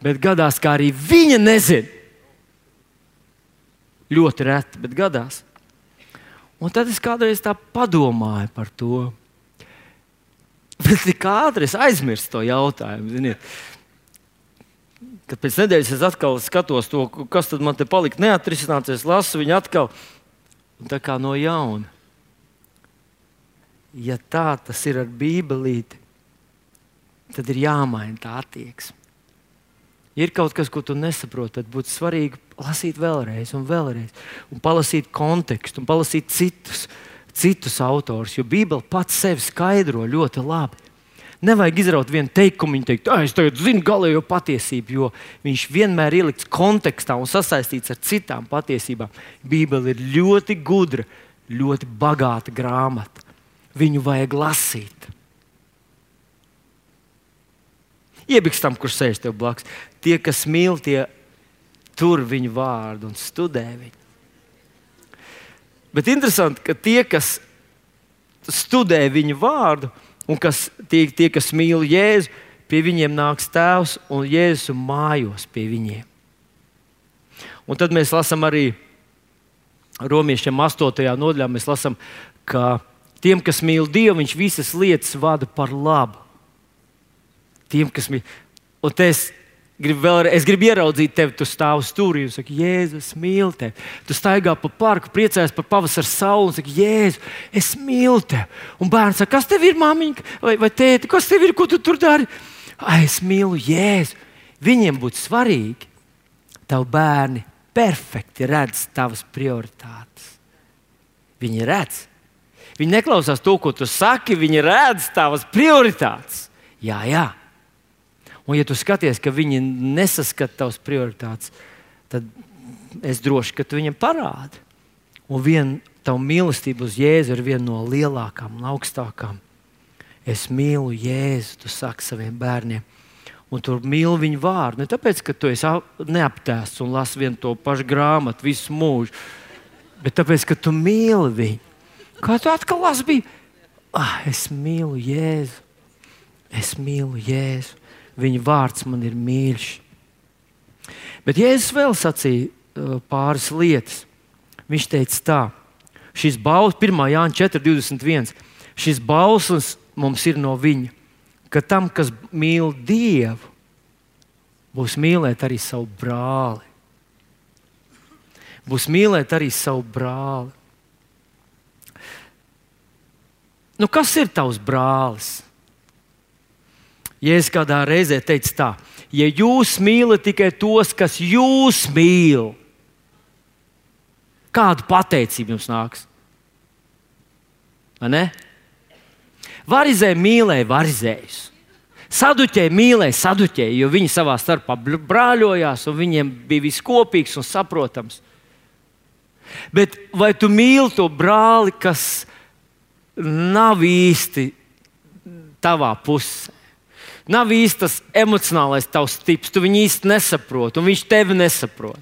bet gadās, kā arī viņa nezina. Ļoti reti, bet gadās. Un tad es kādreiz tā padomāju par to. Bet tik ātri es aizmirstu to jautājumu. Ziniet. Kad pēc nedēļas es atkal skatos to, kas tad man te palika neatrisināts, es lasu viņu atkal tā kā no jauna. Ja tā tas ir ar bībelīti, tad ir jāmaina tā attieksme. Ja ir kaut kas, ko tu nesaproti, tad būtu svarīgi lasīt vēlreiz un vēlreiz, un palasīt kontekstu, un palasīt citus, citus autors, jo Bībele pats sevi skaidro ļoti labi. Nevajag izraut vienu teikumu, viņa teikt, es tagad zinu galējo patiesību, jo viņš vienmēr ielikts kontekstā un sasaistīts ar citām patiesībām. Bībele ir ļoti gudra, ļoti bagāta grāmata. Viņu vajag lasīt. Iebikstam, kurš sēž tev blakus. Tie, kas mīl, tie tur viņu vārdu un studē viņu. Bet interesanti, ka tie, kas studē viņu vārdu, un kas, tie, tie, kas mīl Jēzu, pie viņiem nāks Tēvs un Jēzus mājos pie viņiem. Un tad mēs lasām arī Romiešiem astotajā nodaļā, mēs lasām, ka tiem, kas mīl Dievu, viņš visas lietas vada par labu. Tiem, kas mīl. Un te es gribu, vēlreiz, es gribu ieraudzīt tevi, tu stāv stūrī un saki, Jēzus, es mīlu tevi. Tu staigā pa parku, priecājies par pavasara sauli un saki, Jēzu, es mīlu tevi. Un bērns saka, kas tev ir, māmiņa vai, vai tēti, kas tev ir, ko tu tur dari? Ai, es mīlu Jēzu. Viņiem būtu svarīgi, tavi bērni perfekti redz tavas prioritātes. Viņi redz. Viņi neklausās to, ko tu saki, viņi redz tavas prioritātes. Jā, jā. Un ja tu skaties, ka viņi nesaskata tavas prioritātes, tad es droši, ka tu viņam parādi. Un viena tava mīlestība uz Jēzu ir viena no lielākām un augstākām. Es mīlu Jēzu, tu saki saviem bērniem. Un tu mīli viņu vārdu. Ne tāpēc, ka tu esi neaptēsts un lasi vienu to pašu grāmatu visu mūžu, bet tāpēc, ka tu mīli viņu. Kā tu atkal lasi bija? Ah, es mīlu Jēzu. Es mīlu Jēzu. Viņa vārds man ir mīļš. Bet Jēzus vēl sacīja uh, pāris lietas. Viņš teica tā, šis bauslis, pirmā Jāņa četri divdesmit viens, šis bauslis mums ir no viņa, ka tam, kas mīl Dievu, būs mīlēt arī savu brāli. Būs mīlēt arī savu brāli. Nu, kas ir tavs brālis? Jēzus kādā reizē teica tā, ja jūs mīlat tikai tos, kas jūs mīl, kādu pateicību jums nāks? Vai ne? Varizē mīlēja varizējus. Saduķēji mīlēja saduķēji, jo viņi savā starpā brāļojās un viņiem bija viss kopīgs un saprotams. Bet vai tu mīli to brāli, kas nav īsti tavā pusē? Nav īsti tas emocionālais tavs tips, tu viņu īsti nesaproti, un viņš tevi nesaprot.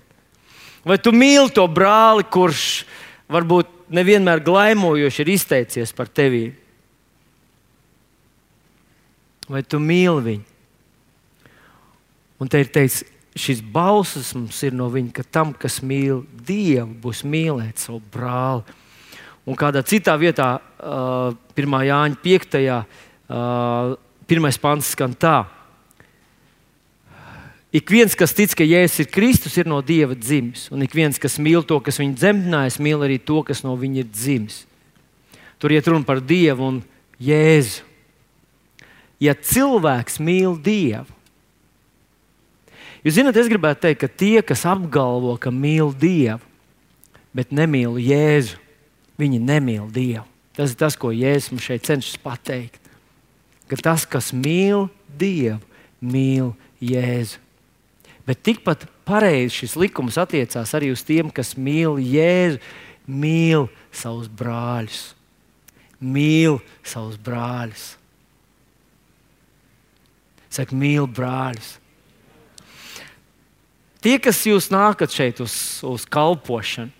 Vai tu mīli to brāli, kurš varbūt nevienmēr glaimojoši ir izteicies par tevi? Vai tu mīli viņu? Un te ir teikts, šis bauslis mums ir no viņa, ka tam, kas mīl Dievu, būs mīlēt savu brāli. Un kādā citā vietā, uh, pirmā Jāņa piektajā, uh, pirmais pants skan tā. Ik viens, kas tic, ka Jēzus ir Kristus, ir no Dieva dzimis. Un ik viens, kas mīl to, kas viņu dzemdinājis, mīl arī to, kas no viņa ir dzimis. Tur iet runa par Dievu un Jēzu. Ja cilvēks mīl Dievu, jūs zināt, es gribētu teikt, ka tie, kas apgalvo, ka mīl Dievu, bet nemīl Jēzu, viņi nemīl Dievu. Tas ir tas, ko Jēzus mums šeit cenšas pateikt. Ka tas, kas mīl Dievu, mīl Jēzu. Bet tikpat pareizi šis likums attiecās arī uz tiem, kas mīl Jēzu, mīl savus brāļus. Mīl savus brāļus. Saka, mīl brāļus. Tie, kas jūs nākat šeit uz, uz kalpošanu,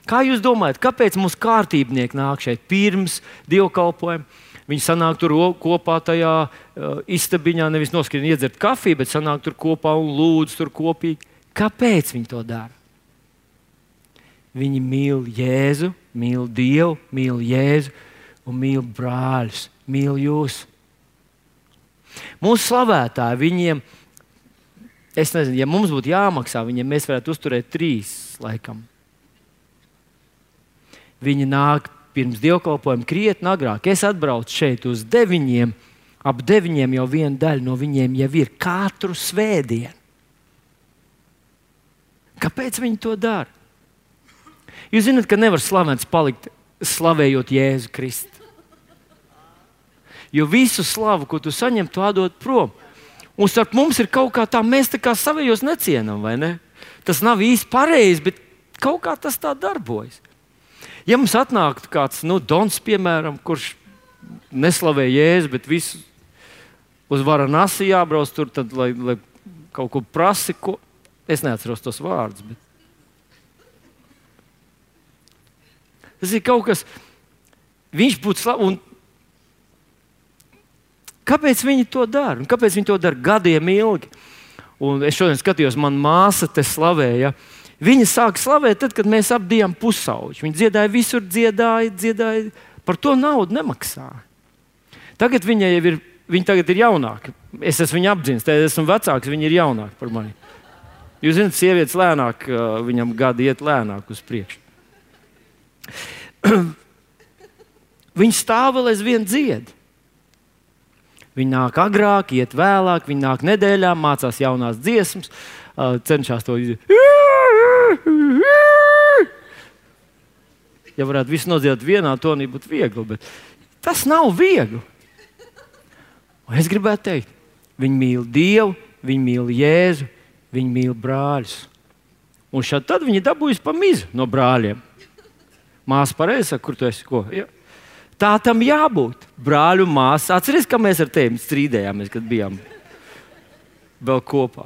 kā jūs domājat, kāpēc mums kārtībnieki nāk šeit pirms dievkalpojuma? Viņi sanāk tur kopā tajā uh, istabiņā, nevis noskrien iedzert kafiju, bet sanāk tur kopā un lūdz tur kopīgi. Kāpēc viņi to dara? Viņi mīl Jēzu, mīl Dievu, mīl Jēzu un mīl brāļus, mīl jūs. Mūsu slavētāji, viņiem, es nezinu, ja mums būtu jāmaksā, viņiem mēs varētu uzturēt trīs laikam. Viņi nāk pirms dievkalpojuma krietni agrāk. Es atbraucu šeit uz deviņiem, ap deviņiem jau viena daļa no viņiem jau ir katru svētdienu. Kāpēc viņi to dara? Jūs zināt, ka nevar slavēts palikt slavējot Jēzu Kristu. Jo visu slavu, ko tu saņem, tu atdod prom. Un starp mums ir kaut kā tā, mēs tā kā savējos necienam, vai ne? Tas nav īsti pareizi, bet kaut kā tas tā darbojas. Ja mums atnāktu kāds, nu, Dons, piemēram, kurš neslavē Jēzu, bet visu uz Varanasi jābrauc tur, tad, lai, lai kaut ko prasi, ko... Es neatceros tos vārdus, bet... Tas ir kaut kas... Viņš būtu slav... Un... Kāpēc viņi to dara? Un kāpēc viņi to dara gadiem ilgi? Un es šodien skatījos, man māsa te slavēja. Viņa sāka slavēt tad, kad mēs apdījām pusauģi. Viņa dziedāja visur, dziedāja, dziedāja. Par to naudu nemaksāja. Tagad viņa jau ir, viņa tagad ir jaunāka. Es esmu viņu apdzinis, tad esmu vecāks, viņa ir jaunāka par mani. Jūs zināt, sievietes lēnāk, viņam gadi iet lēnāk uz priekšu. Viņi stāv vēl aizvien dzied. Viņi nāk agrāk, iet vēlāk, viņi nāk nedēļā, mācās jaunās dziesmas, cenšas to izdarīt. Ja varētu visu nodziedāt vienā tonī, būtu viegli, bet tas nav viegli. Un es gribētu teikt, viņi mīl Dievu, viņi mīl Jēzu, viņi mīl brāļus. Un šad tad viņi dabūjas pa mizu no brāļiem. Māsa pareizi saka, kur tu esi? Ko? Ja. Tā tam jābūt. Brāļu māsas. Atceries, ka mēs ar tevi strīdējāmies, kad bijām vēl kopā.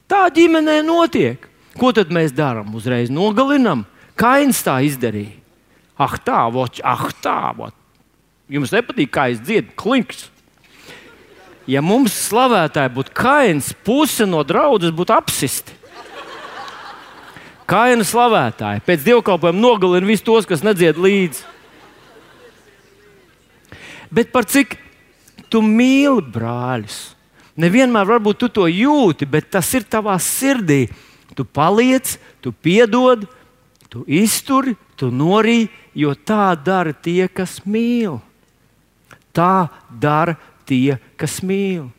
Tā ģimenē notiek. Ko tad mēs darām? Uzreiz nogalinam. Kains tā izdarīja. Ah tā, voč, ah tā, voč. Jums nepatīk, kā es dziedu? Klinks. Ja mums slavētāji būtu Kains, puse no draudzes būtu apsisti. Kaina slavētāji pēc dievkalpojuma nogalina visus tos, kas nedzied līdzi. Bet par cik tu mīli brāļus? Nevienmēr varbūt tu to jūti, bet tas ir tavā sirdī. Tu paliec, tu piedod, tu izturi, tu norī, jo tā dara tie, kas mīl. Tā dara tie, kas mīl.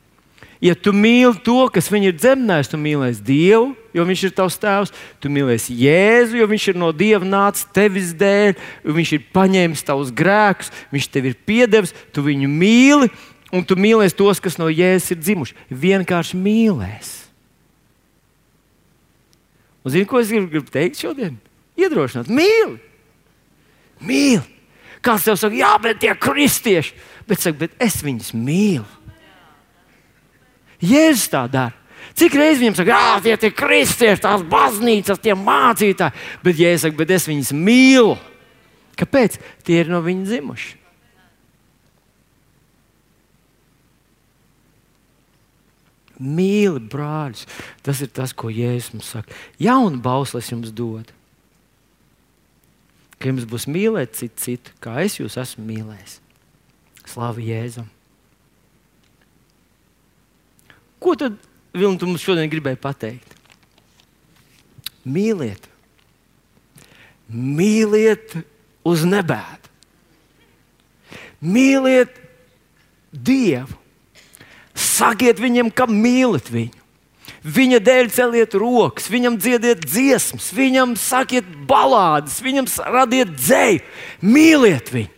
Ja tu mīli to, kas viņu ir dzemdējis, tu mīlēsi Dievu, jo viņš ir tavs tēvs. Tu mīlēsi Jēzu, jo viņš ir no Dieva nācis tevis dēļ. Viņš ir paņēmis tavus grēkus, viņš tev ir piedevis, tu viņu mīli, un tu mīlēsi tos, kas no Jēzus ir dzimuši. Vienkārši mīlēsi. Un zini, ko es gribu, gribu teikt šodien? Iedrošināt, mīli! Mīli! Kāds tev saka, jā, bet tie kristieši. Bet saka, bet es viņus mīlu. Jēzus tā dara. Cik reiz viņam saka, jā, tie ir kristieši, tās baznīcas, tie mācītāji. Bet Jēzus saka, bet es viņus mīlu. Kāpēc? Tie ir no viņa dzimuši. Mīli brāļus. Tas ir tas, ko Jēzus mums saka. Jaunu bausli es jums dodu. Ka jums būs mīlēt citu citu, kā es jūs esmu mīlējis. Slavu Jēzum. Ko tad, Vilni, tu mums šodien gribēji pateikt? Mīliet. Mīliet uz nebēdu. Mīliet Dievu. Sakiet viņam, ka mīlat viņu. Viņa dēļ celiet rokas, viņam dziediet dziesmas, viņam sakiet balādes, viņam radiet dzēju. Mīliet viņu.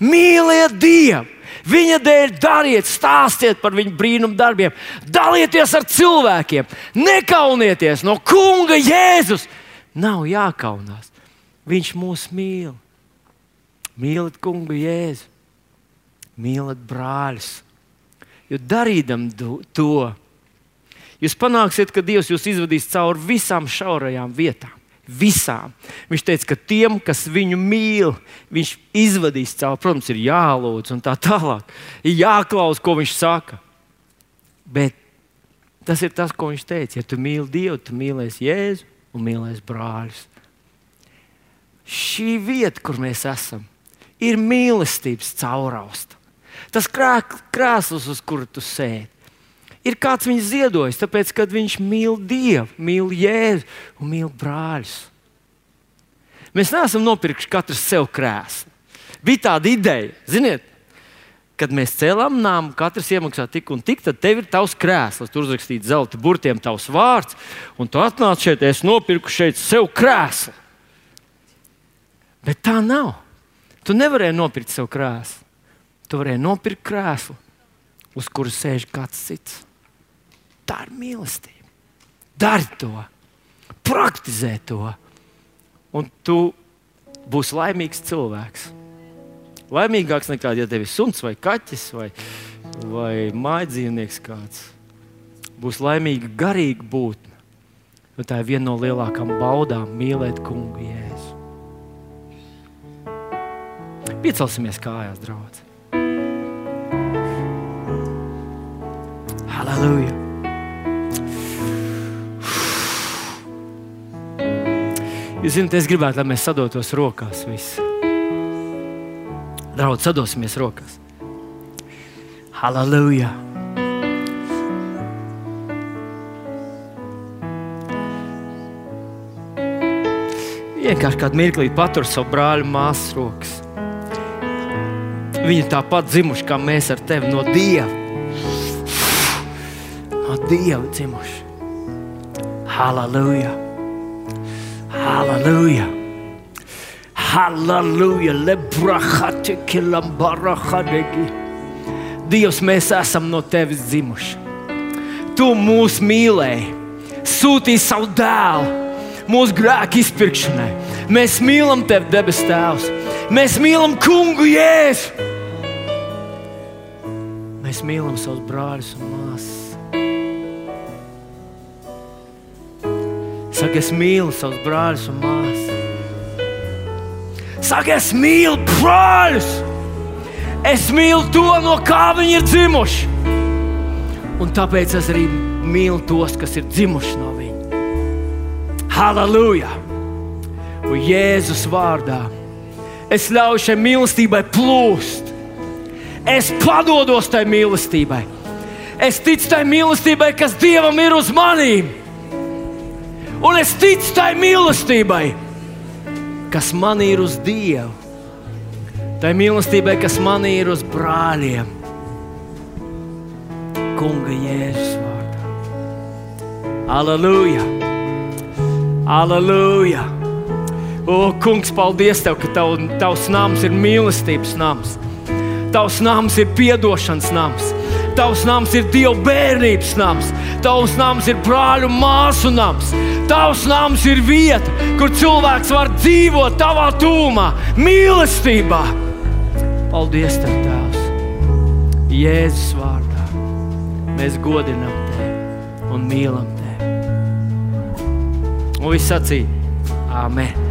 Mīliet Dievu. Viņa dēļ dariet, stāstiet par viņu brīnumu darbiem. Dalieties ar cilvēkiem. Nekaunieties no Kunga Jēzus. Nav jākaunās. Viņš mūs mīl. Mīliet Kungu Jēzu. Mīliet brāļus. Jo darīdam to, jūs panāksiet, ka Dievs jūs izvadīs cauri visām šaurajām vietām. Visām. Viņš teica, ka tiem, kas viņu mīl, viņš izvadīs cauri. Protams, ir jālūdz un tā tālāk. Ir jāklaus, ko viņš saka. Bet tas ir tas, ko viņš teica. Ja tu mīli Dievu, tu mīlēsi Jēzu un mīlēsi brāļus. Šī vieta, kur mēs esam, ir mīlestības caurausta. Tas krēsls, uz kuru tu sēdi, ir kāds viņu ziedojis, tāpēc, kad viņš mīl Dievu, mīl Jēzu un mīl brāļus. Mēs neesam nopirkuši katrs sev krēslu. Bija tāda ideja, ziniet, kad mēs cēlām nāmu, katrs iemaksā tik un tik, tad tev ir tavs krēsls. Tur uzrakstīts zelta burtiem tavs vārds, un tu atnāc šeit, es nopirku šeit sev krēslu. Bet tā nav. Tu nevarēji nopirkt sev krēslu. Tu varēji nopirkt krēslu, uz kuru sēž kāds cits. Tā ir mīlestība. Dari to, praktizē to, un tu būsi laimīgs cilvēks. Laimīgāks nekā, ja tev ir suns vai kaķis vai, vai mājdzīvnieks kāds. Būs laimīga garīga būtne. Jo tā ir viena no lielākām baudām mīlēt kungu Jēzu. Piecelsimies kājās, draudz. Halleluja! Jūs zināt, es gribētu, lai mēs sadotos rokās visi. Draudz, sadosimies rokās. Halleluja! Vienkārši kādu mirklīt patur savu brāļu māsas rokas. Viņi tāpat dzimuši, kā mēs ar tevi no Dieva. No Dieva dzimuši. Halleluja! Halleluja! Halleluja! Lebrahate kilambarahadegi. Dievs, mēs esam no tevis dzimuši. Tu mūs mīlēji, sūtīji savu dēlu mūsu grēku izpirkšanai. Mēs mīlam tevi, debes Tēvs. Mēs mīlam kungu Jēzu. Mēs mīlam savus brāļus un māsas. Saka, es mīlu savus brāļus un māsas. Saka, es mīlu brāļus. Es mīlu to, no kā viņi ir dzimuši. Un tāpēc es arī mīlu tos, kas ir dzimuši no viņa. Halleluja! Un Jēzus vārdā es ļauju šai mīlestībai plūst. Es padodos tai mīlestībai. Es ticu tai mīlestībai, kas Dievam ir uz manīm. Un es ticu tai mīlestībai, kas man ir uz Dievu. Tai mīlestībai, kas man ir uz brāļiem. Kunga Jēzus vārdā. Halleluja! Halleluja! O, kungs, paldies Tev, ka tav, Tavs nams ir mīlestības nams. Tavs nams ir piedošanas nams. Tavs nams ir Dieva bērnības nams. Tavs nams ir brāļu māsu nams. Tavs nams ir vieta, kur cilvēks var dzīvot Tavā tūmā, mīlestībā. Paldies Tev, Tēvs. Jēzus vārdā mēs godinam Tevi un mīlam Tevi. Un viss sacīja, āmen.